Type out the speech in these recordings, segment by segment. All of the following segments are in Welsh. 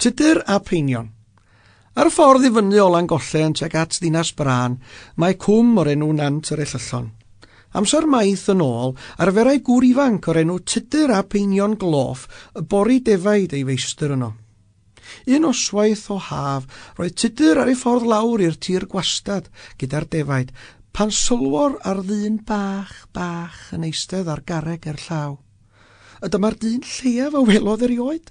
Tudur ap Einion. Ar y ffordd i fyny o Langollen tuag at Ddinas Brân, mae cwm o'r enw Nant yr Ellyllon. Amser maith yn ôl, arferai gŵr ifanc o'r enw Tudur ap Einion Gloff bori defaid ei feistr yno. Un noswaith o haf, roedd Tudur ar ei ffordd lawr i'r tir gwastad gyda'r defaid, pan sylwor ar ddyn bach, bach yn eistedd ar garreg gerllaw. A dyma'r dyn lleiaf a welodd erioed.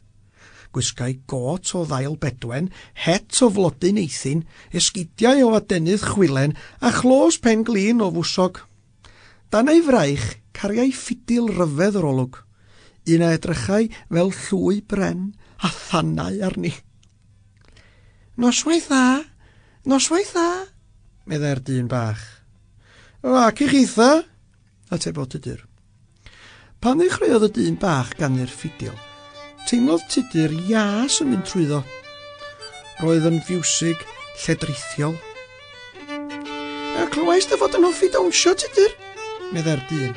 Gwisgai got o ddail bedwen, het o flodyn eithin, esgidiau o adenydd chwilen a chlos pen glin o fwsog. Dan ei fraich, cariai ffidil ryfedd yr olwg, un a edrychai fel llwy bren a thanau arni. Noswaith dda, noswaith dda, meddai'r dyn bach. O, ac i chitha, atebodd Tudur. Pan ddechreuodd y dyn bach ganu'r ffidil, teimlodd Tudur ias yn mynd trwyddo. Roedd yn fiwsig lledrithiol. A clywais dy fod yn hoffi dawnsio, Tudur, meddai'r dyn.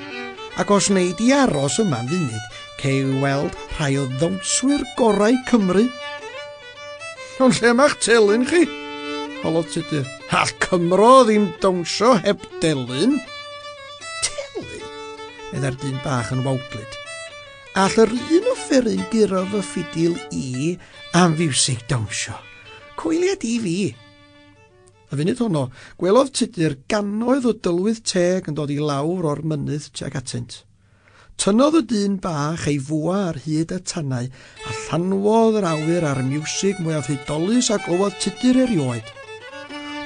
Ac os wnei di aros yma am funud, cei weld rhai o ddawnswyr gorau Cymru. Ond lle mae'ch telyn chi? Holodd Tudur. All Cymro ddim dawnsio heb delyn. Telyn? Meddai'r dyn bach yn wawdlyd. All yr un offeryn guro fy ffidil i am fiwsig dawnsio. Coelia di fi. Y funud honno, gwelodd Tudur gannoedd o dylwyth teg yn dod i lawr o'r mynydd tuag atynt. Tynnodd y dyn bach ei fwa ar hyd y tanau a llanwodd yr awyr a'r miwsig mwyaf hudolus a glywodd Tudur erioed.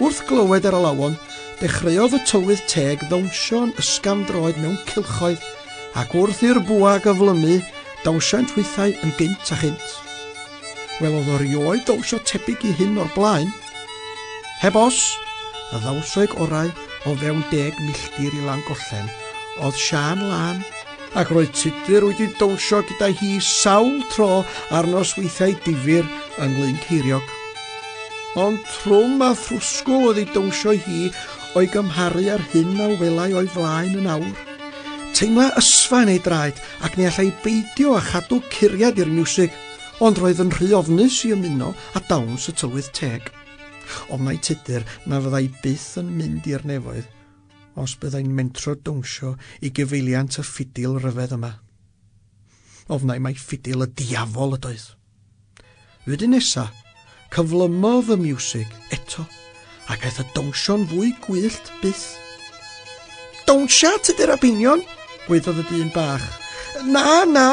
Wrth glywed yr alawon, dechreuodd y tylwyth teg ddawnsio'n ysgafn droed mewn cylchoedd, ac wrth i'r bwa gyflymu, dawnsiant hwythau yn gynt a chynt. Welodd o rioed dawnsio tebyg i hyn o'r blaen. Heb os, y ddawnswraig orau o fewn 10 milltir i Langollen oedd Siân Lân, ac roedd Tudur wedi dawnsio gyda hi sawl tro ar nosweithiau difyr yng Nglyn Ceiriog. Ond trwm a thrwsgwl oedd ei dawnsio hi o'i gymharu â'r hyn a welai o'i flaen yn awr. Teimla ysfa yn ei draed ac ni allai beidio â chadw curiad i'r miwsig, ond roedd yn rhy ofnus i ymuno â dawns y tylwyth teg. Ofnai Tudur na fyddai byth yn mynd i'r nefoedd os byddai'n mentro dawnsio i gyfeiliant y ffidil ryfedd yma. Ofnai mai ffidil y diafol ydoedd. Flwyddyn nesa, cyflymodd y miwsig eto, ac aeth y dawnsio'n fwy gwyllt byth. Dawnsia, Tudur ap Einion, gwaeddodd y dyn bach. Na, na,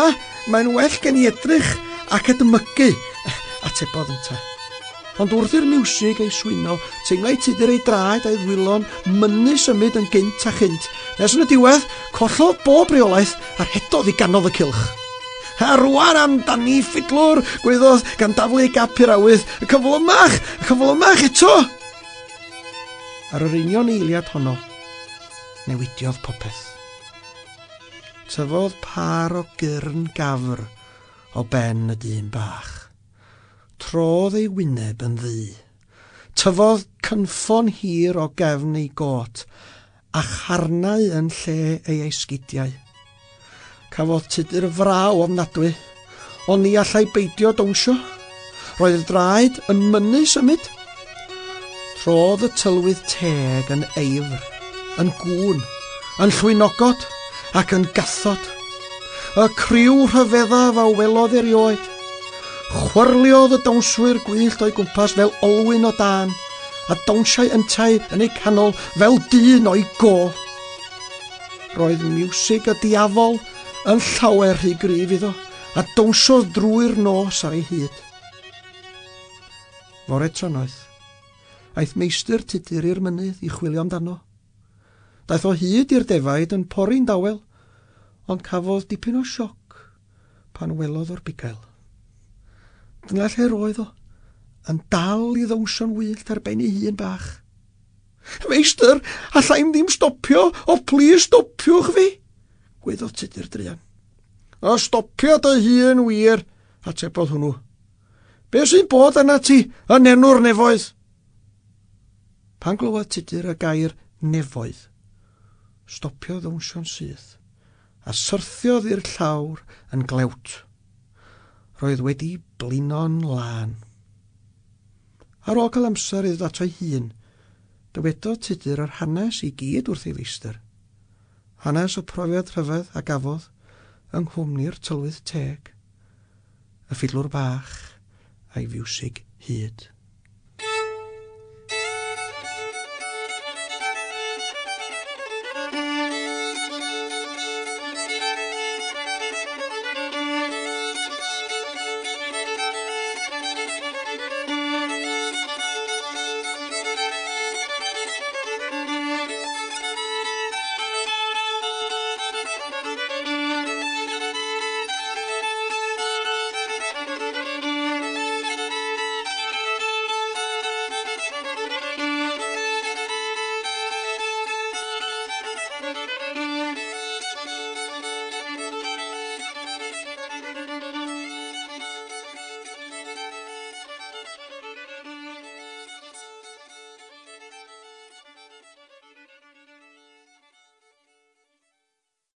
mae'n well gen i edrych ac edmygu, atebodd ynte. Ond wrth i'r miwsig ei swyno, teimlai Tudur ei draed a'i ddwylo'n mynnu symud yn gynt a chynt, nes yn y diwedd, collodd bob reolaeth a rhedodd i ganol y cylch. A rwan amdani, ffidlwr, gwaeddodd gan daflu ei gap i'r awydd, y cyflymach, y cyflymach eto! Ar yr union eiliad honno, newidiodd popeth. Tyfodd pâr o gyrn gafr o ben y dyn bach. Trodd ei wyneb yn ddu. Tyfodd cynffon hir o gefn ei got a charnau yn lle ei esgidiau. Cafodd Tudur fraw ofnadwy, ond ni allai beidio dawnsio. Roedd y draed yn mynnu symud. Trodd y tylwyth teg yn eifr, yn gŵn, yn llwynogod ac yn gathod. Y criw rhyfeddaf a welodd erioed. Chwyrliodd y dawnswyr gwyllt o'i gwmpas fel olwyn o dân, a dawnsiai yntau yn eu canol fel dyn o'i go. Roedd miwsig y diafol yn llawer rhy gryf iddo, a dawnsiodd drwy'r nos ar ei hyd. Fore trannoeth, aeth meistr Tudur i'r mynydd i chwilio amdano. Daeth o hyd i'r defaid yn pori'n dawel, ond cafodd dipyn o sioc pan welodd o'r bugail. Dyna lle roedd o, yn dal i ddawnsio'n wyllt ar ben ei hun bach. Meistr, allai'm ddim stopio, o plis stopiwch fi, gwaeddodd Tudur druan. O stopio dy hun wir, atebodd hwnnw. Be sy'n bod arnat ti yn enw'r nefoedd? Pan glywodd Tudur y gair nefoedd, stopiodd ddawnsio'n syth, a syrthiodd i'r llawr yn glewt. Roedd wedi blino'n lân. Ar ôl cael amser i ddod ato'i hun, dywedodd Tudur yr hanes i gyd wrth ei feistr. Hanes y profiad rhyfedd a gafodd yng nghwmni'r tylwyth teg, y ffidlwr bach a'i fiwsig hud.